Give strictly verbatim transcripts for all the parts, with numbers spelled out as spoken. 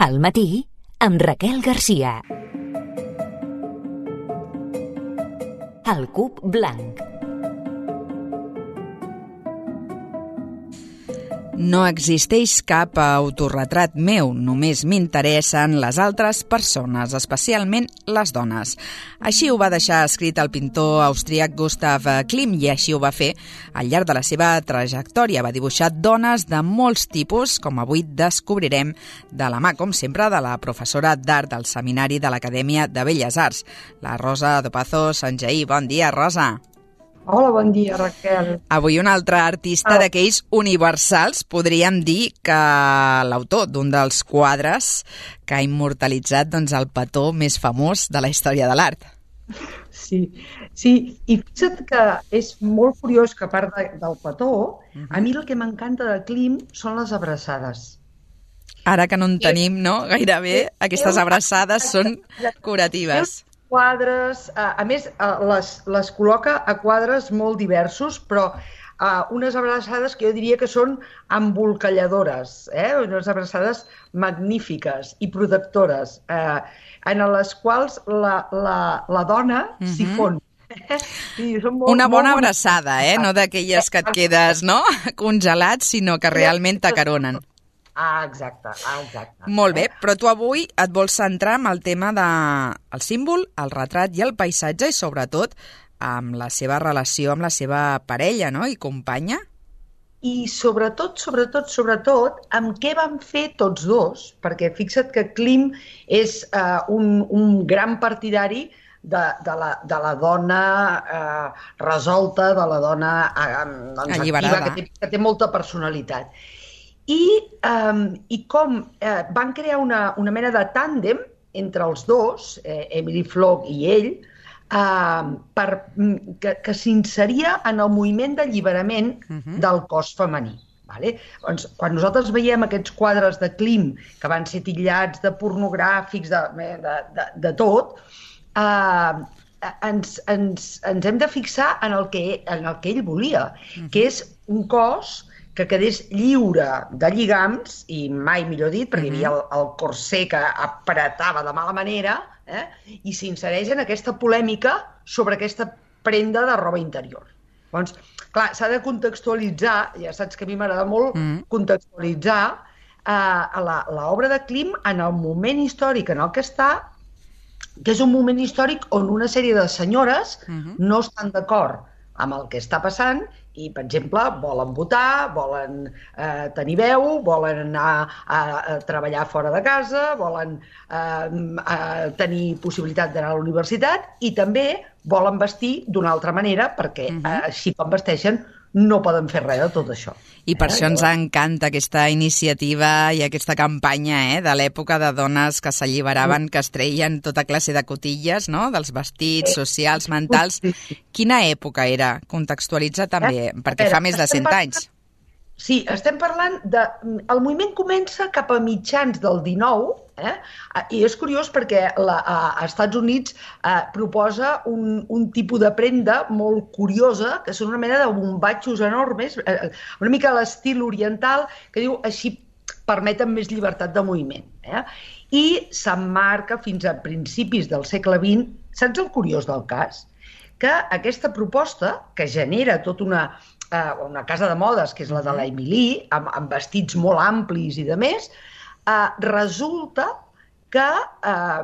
Al matí, amb Raquel Garcia. El cub blanc. No existeix cap autorretrat meu, només m'interessen les altres persones, especialment les dones. Així ho va deixar escrit el pintor austríac Gustav Klimt i així ho va fer al llarg de la seva trajectòria. Va dibuixar dones de molts tipus, com avui descobrirem de la mà, com sempre, de la professora d'art del Seminari de l'Acadèmia de Belles Arts, la Rosa Dopazo Sanjaí. Bon dia, Rosa. Hola, bon dia, Raquel. Avui un altre artista ah. d'aquells universals, podríem dir que l'autor d'un dels quadres que ha immortalitzat doncs, el petó més famós de la història de l'art. Sí, sí, i fixa't que és molt curiós que a part de, del petó, uh-huh. a mi el que m'encanta de Klimt són les abraçades. Ara que no en tenim, no? Gairebé aquestes abraçades són curatives. Quadres, a més les, les col·loca a quadres molt diversos, però uh, unes abraçades que jo diria que són embolcalladores, eh? Unes abraçades magnífiques i protectores, eh, en les quals la, la, la dona uh-huh. s'hi fon. Sí, molt, una bona molt abraçada, eh? No d'aquelles que et quedes, no? Congelat, sinó que realment t'acaronen. Ah, exacte, ah, exacte. Molt bé, però tu avui et vols centrar en el tema del símbol, el retrat i el paisatge i sobretot amb la seva relació amb la seva parella, no?, i companya. I sobretot, sobretot, sobretot, amb què van fer tots dos, perquè fixa't que Klimt és uh, un, un gran partidari de, de, la, de la dona eh, resolta, de la dona eh, doncs, activa, que té, que té molta personalitat. I, um, i com eh, van crear una, una mena de tàndem entre els dos, eh, Emily Flood i ell, eh, per, que, que s'inseria en el moviment d'alliberament uh-huh. del cos femení. Vale? Doncs, quan nosaltres veiem aquests quadres de Klimt, que van ser titllats de pornogràfics, de, de, de, de tot, eh, ens, ens, ens hem de fixar en el que, en el que ell volia, uh-huh. que és un cos que quedés lliure de lligams, i mai millor dit, perquè uh-huh. hi havia el, el corsé que apretava de mala manera, eh? I s'insereix en aquesta polèmica sobre aquesta prenda de roba interior. Doncs, clar, s'ha de contextualitzar, ja saps que a mi m'agrada molt uh-huh. contextualitzar eh, l'obra de Klimt en el moment històric en el que està, que és un moment històric on una sèrie de senyores uh-huh. no estan d'acord amb el que està passant i, per exemple, volen votar, volen eh, tenir veu, volen anar a, a treballar fora de casa, volen eh, a tenir possibilitat d'anar a la universitat i també volen vestir d'una altra manera perquè uh-huh. eh, així com vesteixen no poden fer res de tot això. I per eh? això ens encanta aquesta iniciativa i aquesta campanya eh, de l'època de dones que s'alliberaven, que es treien tota classe de cotilles, no?, dels vestits socials, mentals. Quina època era? Contextualitza també, perquè fa més de cent anys. Sí, estem parlant de... El moviment comença cap a mitjans del dinou, eh? I és curiós perquè la, a, a Estats Units eh, proposa un, un tipus de prenda molt curiosa, que són una mena de bombatxos enormes, eh, una mica a l'estil oriental, que diu així permeten més llibertat de moviment. Eh? I s'emmarca fins a principis del segle vint. Saps el curiós del cas? Que aquesta proposta, que genera tota una... una casa de modes, que és la de la Emily, amb, amb vestits molt amplis i de més, eh, resulta que eh,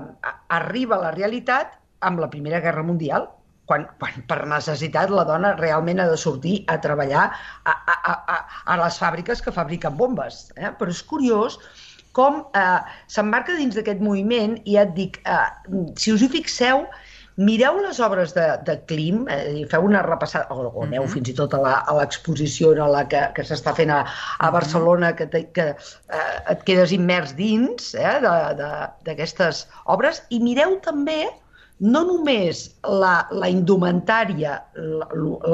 arriba a la realitat amb la Primera Guerra Mundial, quan, quan per necessitat la dona realment ha de sortir a treballar a, a, a, a les fàbriques que fabriquen bombes. Eh? Però és curiós com eh, s'emmarca dins d'aquest moviment i ja et dic, eh, si us hi fixeu, mireu les obres de, de Klimt, eh, feu una repassada, o, o aneu uh-huh. fins i tot a l'exposició a la que, que s'està fent a, a Barcelona, que, te, que eh, et quedes immers dins eh, d'aquestes obres, i mireu també no només la, la indumentària,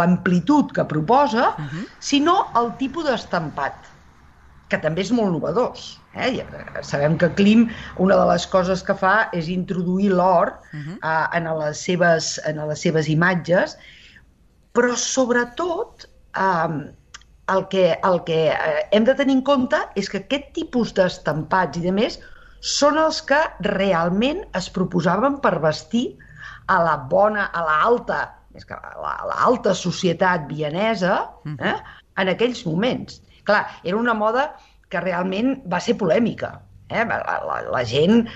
l'amplitud que proposa, uh-huh. sinó el tipus d'estampat, que també és molt novedós. Eh? Sabem que Klimt, una de les coses que fa és introduir l'or uh-huh. eh, en, les seves, en les seves imatges, però sobretot eh, el que, el que hem de tenir en compte és que aquest tipus d'estampats i de més són els que realment es proposaven per vestir a la bona, a l'alta, és que a l'alta societat vienesa, eh, en aquells moments. Clar, era una moda que realment va ser polèmica. Eh? La, la, la gent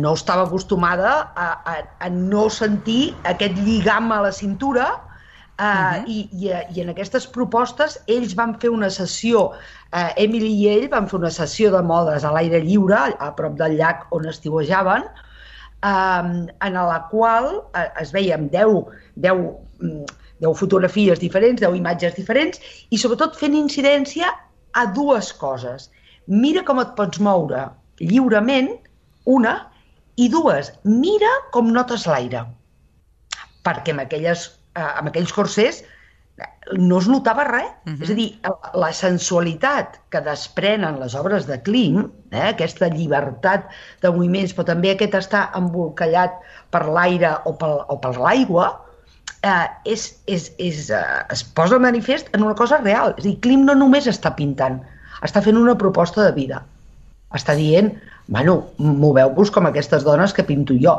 no estava acostumada a, a, a no sentir aquest lligam a la cintura, eh, uh-huh. i, i, i en aquestes propostes ells van fer una sessió, eh, Emily i ell van fer una sessió de modes a l'aire lliure, a prop del llac on estiuejaven, eh, en la qual eh, es veien deu, deu, deu fotografies diferents, deu imatges diferents, i sobretot fent incidència a dues coses. Mira com et pots moure lliurement, una, i dues, mira com notes l'aire. Perquè amb, aquelles, eh, amb aquells corsers no es notava res. Uh-huh. És a dir, la sensualitat que desprenen les obres de Klim, eh, aquesta llibertat de moviments, però també aquest estar embolcallat per l'aire o per, o per l'aigua, eh, és, és, és, eh, es posa de manifest en una cosa real. És a dir, Klim no només està pintant, està fent una proposta de vida. Està dient, bueno, moveu-vos com aquestes dones que pinto jo,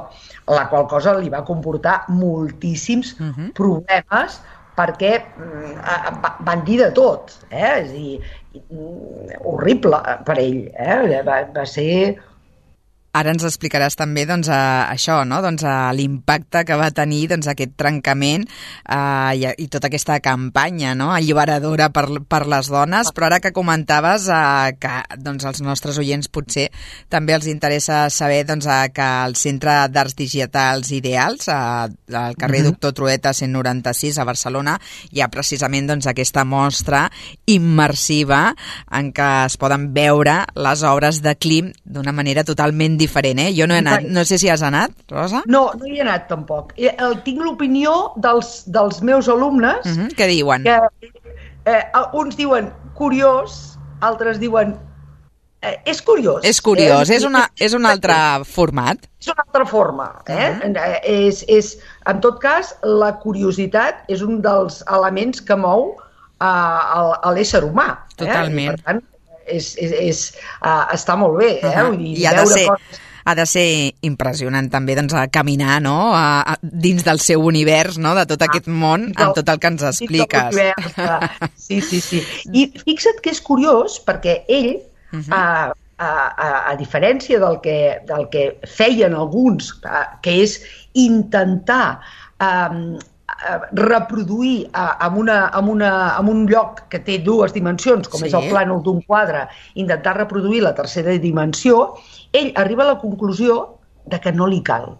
la qual cosa li va comportar moltíssims uh-huh. problemes, perquè uh, van dir de tot, eh? És a dir, horrible per ell, eh? va, va ser... Ara ens explicaràs també doncs, a, això, no? doncs, a l'impacte que va tenir doncs, aquest trencament eh, i, i tota aquesta campanya, no? alliberadora per, per les dones, però ara que comentaves eh, que doncs, als nostres oients potser també els interessa saber doncs, eh, que al Centre d'Arts Digitals Ideals, eh, al carrer mm-hmm. Doctor Trueta cent noranta-sis a Barcelona, hi ha precisament doncs, aquesta mostra immersiva en què es poden veure les obres de Klim d'una manera totalment diferent, eh? Jo no he anat. No sé si has anat, Rosa? No, no hi he anat tampoc. El, tinc l'opinió dels, dels meus alumnes. Uh-huh. Què diuen? Que, eh, uns diuen curiós, altres diuen eh, és curiós. És curiós, eh? és, una, és un altre format. És una altra forma. Eh? Uh-huh. és, és, en tot cas, la curiositat és un dels elements que mou uh, a l'ésser humà. Totalment. Eh? I, per tant, És, és, és, uh, està molt bé, eh? Uh-huh. Vull dir, I ha de, ser, coses... ha de ser impressionant també doncs, a caminar no? a, a, dins del seu univers, no? de tot aquest món, ah, amb tot el que ens expliques. Sí, sí, sí. I fixa't que és curiós, perquè ell, uh-huh. a, a, a, a diferència del que, del que feien alguns, que és intentar... Um, reproduir en, una, en, una, en un lloc que té dues dimensions, com sí. és el plànol d'un quadre, intentar reproduir la tercera dimensió, ell arriba a la conclusió de que no li cal.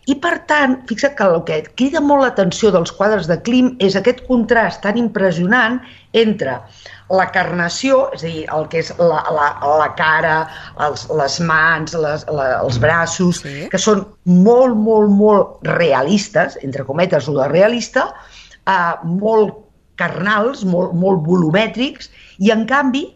I per tant, fixa't que el que crida molt l'atenció dels quadres de Klim és aquest contrast tan impressionant entre la carnació, és a dir, el que és la, la, la cara, els, les mans, les, la, els braços, sí. que són molt, molt, molt realistes, entre cometes, o de realista, eh, molt carnals, molt, molt volumètrics, i en canvi,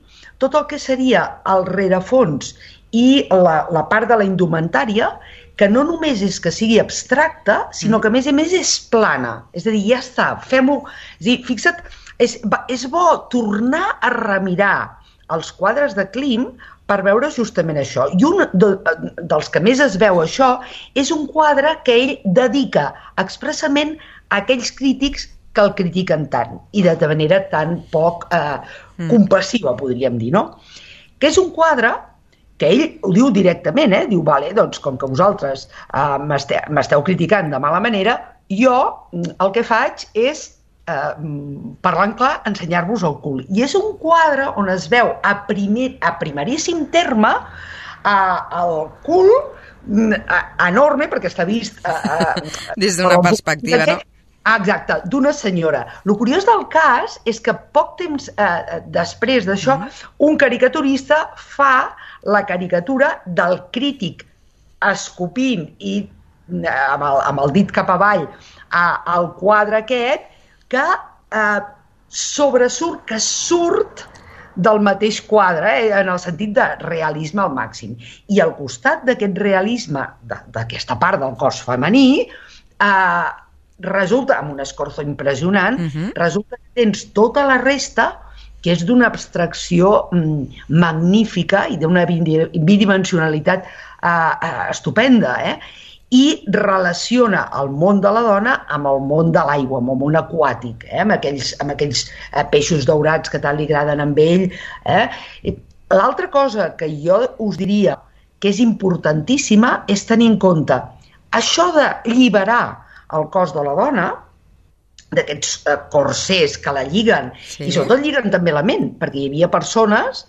tot el que seria el rerefons i la, la part de la indumentària, que no només és que sigui abstracta, sinó que a més a més és plana. És a dir, ja està, fem-ho... És a dir, fixa't, és, és bo tornar a remirar els quadres de Klim per veure justament això. I un de, dels que més es veu això és un quadre que ell dedica expressament a aquells crítics que el critiquen tant i de manera tan poc eh, compassiva, podríem dir, no? Que és un quadre que ell ho diu directament, eh? Diu, vale, doncs com que vosaltres eh, m'esteu, m'esteu criticant de mala manera, jo el que faig és, eh, parlant clar, ensenyar-vos el cul. I és un quadre on es veu a, primer, a primeríssim terme eh, el cul eh, enorme, perquè està vist... Eh, eh, Des d'una perspectiva, no? Ah, exacte, d'una senyora. El curiós del cas és que poc temps eh, després d'això, mm-hmm. un caricaturista fa la caricatura del crític escopint i eh, amb, el, amb el dit cap avall a, al quadre aquest que eh, sobresurt, que surt del mateix quadre, eh, en el sentit de realisme al màxim. I al costat d'aquest realisme, d'aquesta part del cos femení, eh, resulta, amb un escorzo impressionant, uh-huh. resulta que tens tota la resta que és d'una abstracció mm, magnífica i d'una bidimensionalitat uh, estupenda, eh? I relaciona el món de la dona amb el món de l'aigua, amb el món aquàtic, eh? amb aquells, amb aquells eh, peixos daurats que tant li agraden amb ell. Eh? L'altra cosa que jo us diria que és importantíssima és tenir en compte això de lliberar el cos de la dona, d'aquests eh, corsers que la lliguen, sí. I sobretot lliguen també la ment, perquè hi havia persones,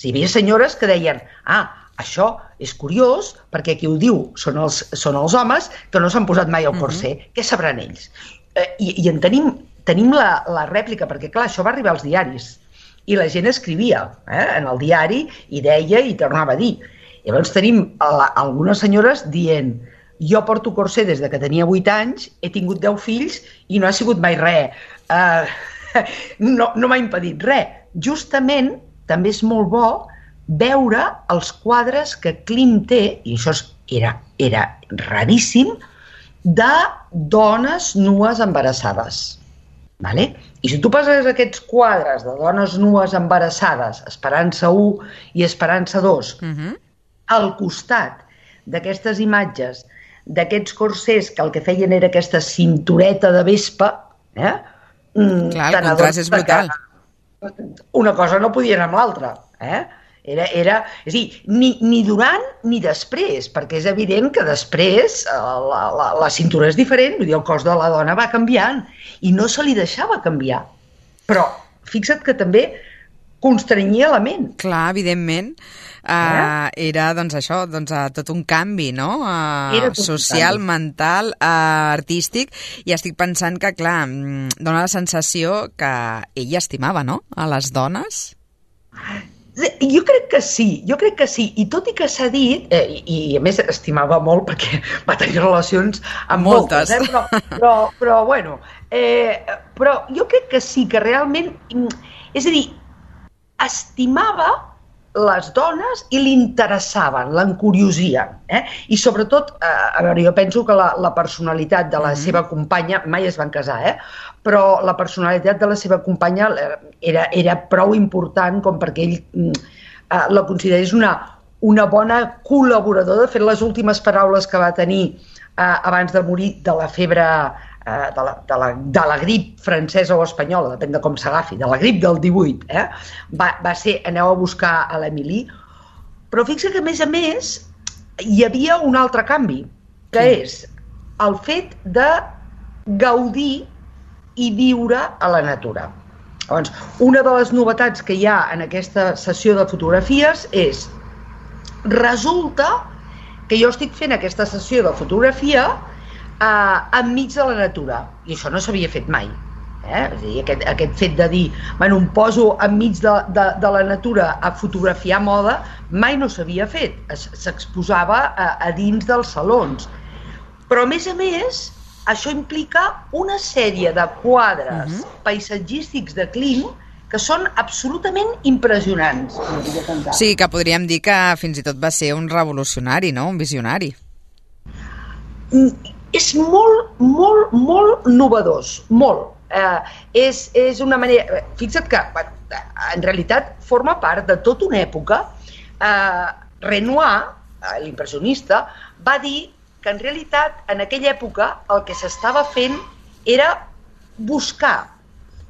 hi havia senyores que deien, ah, això és curiós, perquè qui ho diu són els, són els homes que no s'han posat mai el corser, uh-huh. Què sabran ells? Eh, I i en tenim, tenim la, la rèplica, perquè clar, això va arribar als diaris, i la gent escrivia eh, en el diari, i deia i tornava a dir. Llavors tenim la, algunes senyores dient, jo porto corser des de que tenia vuit anys, he tingut deu fills i no ha sigut mai res. Uh, no no m'ha impedit res. Justament, també és molt bo veure els quadres que Klim té, i això era, era raríssim, de dones nues embarassades. Vale? I si tu poses aquests quadres de dones nues embarassades, Esperança u i Esperança dos, uh-huh. Al costat d'aquestes imatges d'aquests corsers que el que feien era aquesta cintureta de vespa, eh? Clar, el contrast és brutal. Una cosa no podia anar amb l'altra, eh? Era, era, és a dir, ni, ni durant ni després, perquè és evident que després la, la, la cintura és diferent, vull dir, el cos de la dona va canviant i no se li deixava canviar. Però fixa't que també constrenyia la ment. Clar, evidentment. Uh, era doncs això, doncs, uh, tot un canvi, no? Uh, social, mental, uh, artístic, i estic pensant que, clar, dona la sensació que ella estimava, no?, a les dones. Jo crec que sí, jo crec que sí, i tot i que s'ha dit, eh, i, i a més estimava molt perquè va tenir relacions amb moltes, moltes eh? però, però, però bueno, eh, però jo crec que sí, que realment, és a dir, estimava les dones i li interessaven, l'encuriosien. Eh? I sobretot, eh, a veure, jo penso que la, la personalitat de la mm-hmm. seva companya, mai es van casar, eh? Però la personalitat de la seva companya era, era prou important com perquè ell eh, la considerés una, una bona col·laboradora. De fet, les últimes paraules que va tenir eh, abans de morir de la febre, eh, de, la, de, la, de la grip francesa o espanyola, depèn de com s'agafi, de la grip del divuit, eh, va, va ser aneu a buscar a l'Emily. Però fixa que, a més a més, hi havia un altre canvi, que sí. És el fet de gaudir i viure a la natura. Llavors, una de les novetats que hi ha en aquesta sessió de fotografies és, resulta que jo estic fent aquesta sessió de fotografia eh, enmig de la natura, i això no s'havia fet mai. Eh? És a dir, aquest, aquest fet de dir, bueno, em poso enmig de, de, de la natura a fotografiar moda, mai no s'havia fet, s'exposava a, a dins dels salons. Però a més a més, això implica una sèrie de quadres uh-huh. paisatgístics de Klim que són absolutament impressionants. Sí, que podríem dir que fins i tot va ser un revolucionari, no? Un visionari. Mm, és molt, molt, molt novedós, molt. Eh, és, és una manera... Fixa't que, en realitat, forma part de tota una època. Eh, Renoir, l'impressionista, va dir que en realitat en aquella època el que s'estava fent era buscar.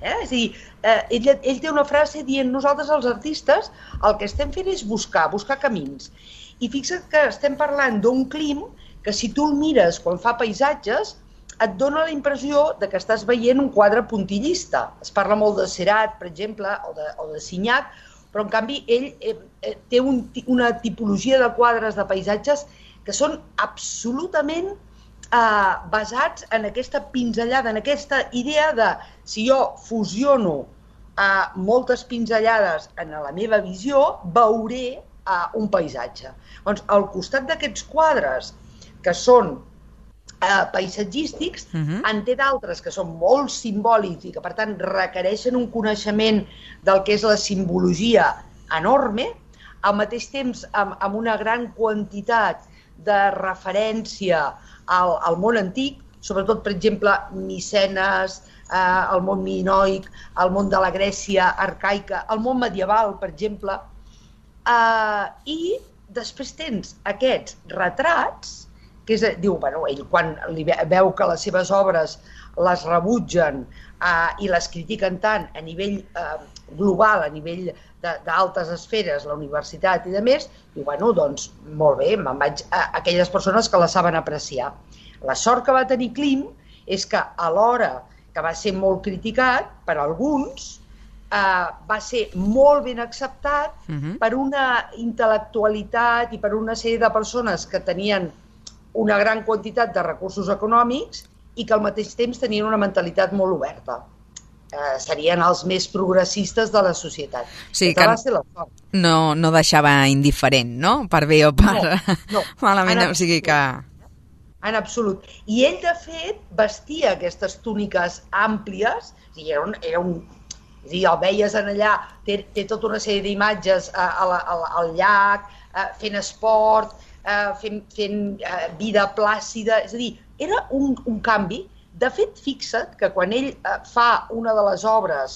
Eh? És a dir, eh, ell, ell té una frase dient nosaltres els artistes el que estem fent és buscar, buscar camins. I fixa't que estem parlant d'un Klim que si tu el mires quan fa paisatges et dona la impressió de que estàs veient un quadre puntillista. Es parla molt de Seurat, per exemple, o de, o de Signac, però en canvi ell eh, té un, una tipologia de quadres de paisatges que són absolutament eh, basats en aquesta pinzellada, en aquesta idea de si jo fusiono eh, moltes pinzellades en la meva visió, veuré eh, un paisatge. Doncs al costat d'aquests quadres que són eh, paisatgístics, uh-huh. en té d'altres que són molt simbòlics i que per tant requereixen un coneixement del que és la simbologia enorme, al mateix temps amb, amb una gran quantitat de referència al, al món antic, sobretot, per exemple, Micenes, eh, el món minoic, el món de la Grècia arcaica, el món medieval, per exemple, eh, i després tens aquests retrats, que és, diu, bueno, ell quan li veu que les seves obres les rebutgen eh, i les critiquen tant a nivell eh, global, a nivell d'altes esferes, la universitat i de més, diu, bueno, doncs, molt bé, me'n vaig a aquelles persones que la saben apreciar. La sort que va tenir Klim és que alhora que va ser molt criticat per alguns, eh, va ser molt ben acceptat uh-huh. per una intel·lectualitat i per una sèrie de persones que tenien una gran quantitat de recursos econòmics i que al mateix temps tenien una mentalitat molt oberta. Eh, serien els més progressistes de la societat. Sí, que va ser la sort. No, no deixava indiferent, no? Per bé o per no, no. malament, o sigui que... En absolut. I ell, de fet, vestia aquestes túniques àmplies, i era un... Era un és a dir, el veies en allà, té, té tota una sèrie d'imatges a, a, a, al llac, a, fent esport, a, fent, fent a, vida plàcida, és a dir, era un, un canvi. De fet, fixa't que quan ell eh, fa una de les obres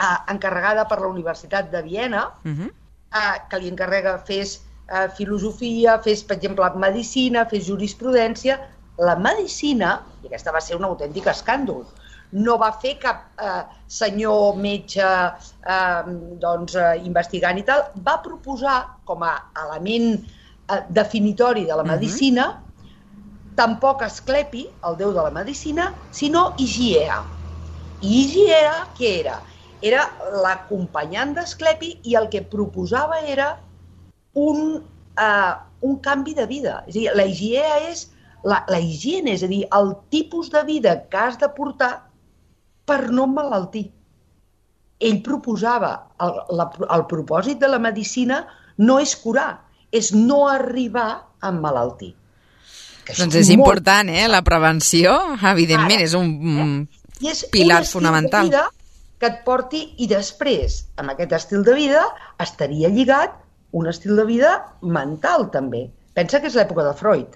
eh, encarregada per la Universitat de Viena, uh-huh. eh, que li encarrega fes eh, filosofia, fes, per exemple, medicina, fes jurisprudència, la medicina, i aquesta va ser un autèntic escàndol, no va fer cap eh, senyor metge eh, doncs, eh, investigant i tal, va proposar com a element eh, definitori de la medicina uh-huh. tampoc Asclepi, el déu de la medicina, sinó Higiea. I Higiea, què era? Era l'acompanyant d'Asclepi i el que proposava era un, uh, un canvi de vida. És a dir, la Higiea és la, la higiene, és a dir, el tipus de vida que has de portar per no emmalaltir. Ell proposava, el, la, el propòsit de la medicina no és curar, és no arribar a emmalaltir. Doncs és molt important, eh? La prevenció, evidentment, Ara, és un eh? I és pilar un fonamental. De vida que et porti, i després, amb aquest estil de vida, estaria lligat un estil de vida mental, també. Pensa que és l'època de Freud.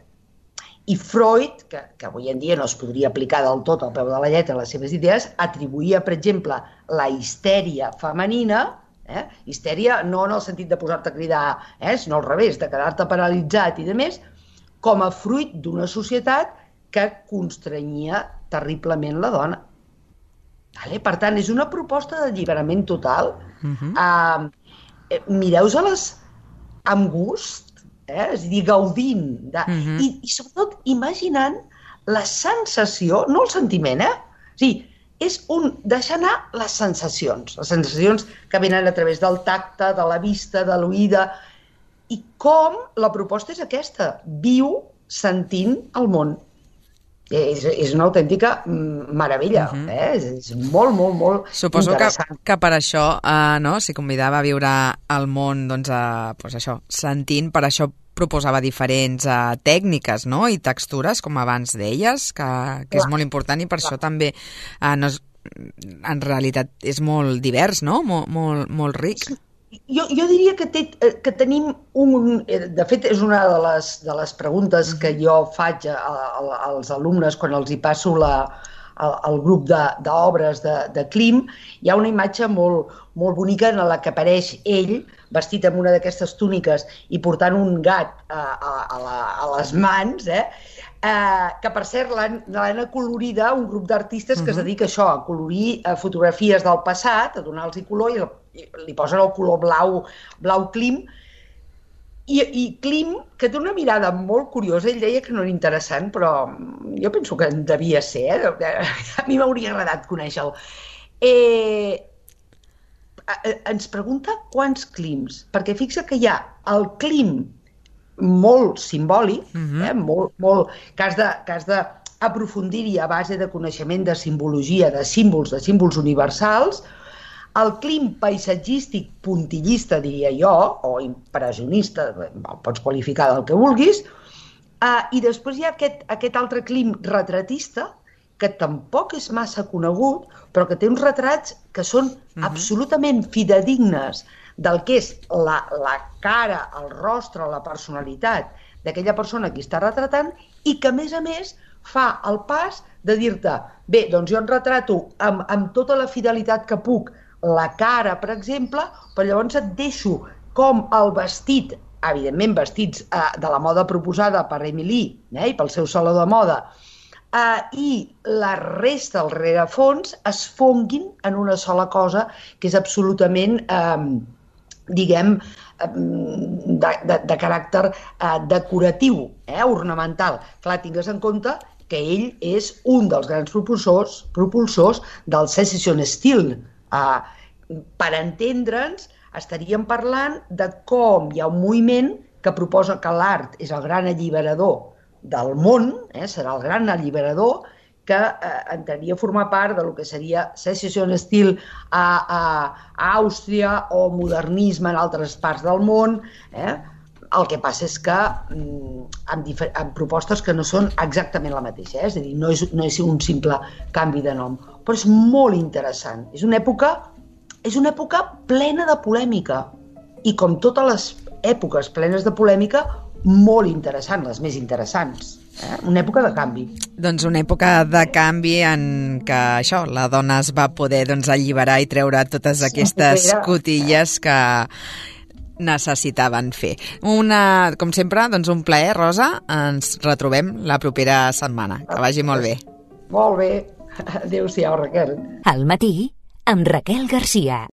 I Freud, que, que avui en dia no es podria aplicar del tot al peu de la lletra les seves idees, atribuïa, per exemple, la histèria femenina, eh? histèria no en el sentit de posar-te a cridar, eh? sinó al revés, de quedar-te paralitzat i de més, com a fruit d'una societat que constrenyia terriblement la dona. Vale? Per tant, és una proposta d'alliberament total. Uh-huh. Uh, Mireu-se-les amb gust, eh? és a dir, gaudint, de... uh-huh. I, i sobretot imaginant la sensació, no el sentiment, eh? O sigui, és un deixar anar les sensacions, les sensacions que venen a través del tacte, de la vista, de l'oïda. I com la proposta és aquesta, viu sentint el món. És, és una autèntica meravella, uh-huh. eh? és, és molt, molt, molt Suposo interessant. Suposo que, que per això uh, no, s'hi convidava a viure el món doncs, uh, pues això, sentint, per això proposava diferents uh, tècniques, no? I textures, com abans deies, que, que és molt important i per clar. Això també uh, no és, en realitat és molt divers, no? Molt, molt, molt ric. Jo, jo diria que, té, que tenim un... De fet, és una de les, de les preguntes que jo faig a, a, als alumnes quan els hi passo la, el, el grup d'obres de, de, de Klim. Hi ha una imatge molt, molt bonica en la que apareix ell vestit amb una d'aquestes túniques i portant un gat a, a, a, la, a les mans, eh? Eh, que per cert l'han acolorida un grup d'artistes uh-huh. que es dedica a això, a colorir eh, fotografies del passat, a donar-los color i, i li posen el color blau, blau Klim. I, I Klim, que té una mirada molt curiosa, ell deia que no era interessant, però jo penso que devia ser, eh? A mi m'hauria agradat conèixer-lo. Eh, ens pregunta quants Klims, perquè fixa que hi ha el Klim molt simbòlic, uh-huh. eh? molt, molt, que has de, que has d'aprofundir-hi a base de coneixement de simbologia, de símbols, de símbols universals, el Klim paisatgístic puntillista, diria jo, o impressionista, el pots qualificar del que vulguis, eh, i després hi ha aquest, aquest altre Klim retratista, que tampoc és massa conegut, però que té uns retrats que són uh-huh. absolutament fidedignes del que és la, la cara, el rostre, la personalitat d'aquella persona que està retratant i que, a més a més, fa el pas de dir-te bé, doncs jo en retrato amb, amb tota la fidelitat que puc la cara, per exemple, però llavors et deixo com el vestit evidentment vestits eh, de la moda proposada per Emily eh, i pel seu saló de moda, eh, i la resta, el rerefons, es fonguin en una sola cosa que és absolutament, eh, diguem, de, de, de caràcter eh, decoratiu, eh, ornamental. Clar, tingues en compte que ell és un dels grans propulsors, propulsors del Secession Steel. Eh, per entendre'ns, estaríem parlant de com hi ha un moviment que proposa que l'art és el gran alliberador del món, eh, serà el gran alliberador, que eh, entraria a formar part del que seria Secession Steel a, a, a Àustria o modernisme en altres parts del món. Eh? El que passa és que mm, amb, amb propostes que no són exactament la mateixa, eh? És a dir, no és, no és un simple canvi de nom, però és molt interessant. És una època, és una època plena de polèmica i, com totes les èpoques plenes de polèmica, molt interessant, les més interessants. Eh? Una època de canvi. Doncs una època de canvi en què això, la dona es va poder doncs, alliberar i treure totes aquestes sí, cotilles que necessitaven fer. Una, com sempre, doncs un plaer, Rosa. Ens retrobem la propera setmana. Que vagi molt bé. Molt bé. Adéu-siau, Raquel. Al matí, amb Raquel Garcia.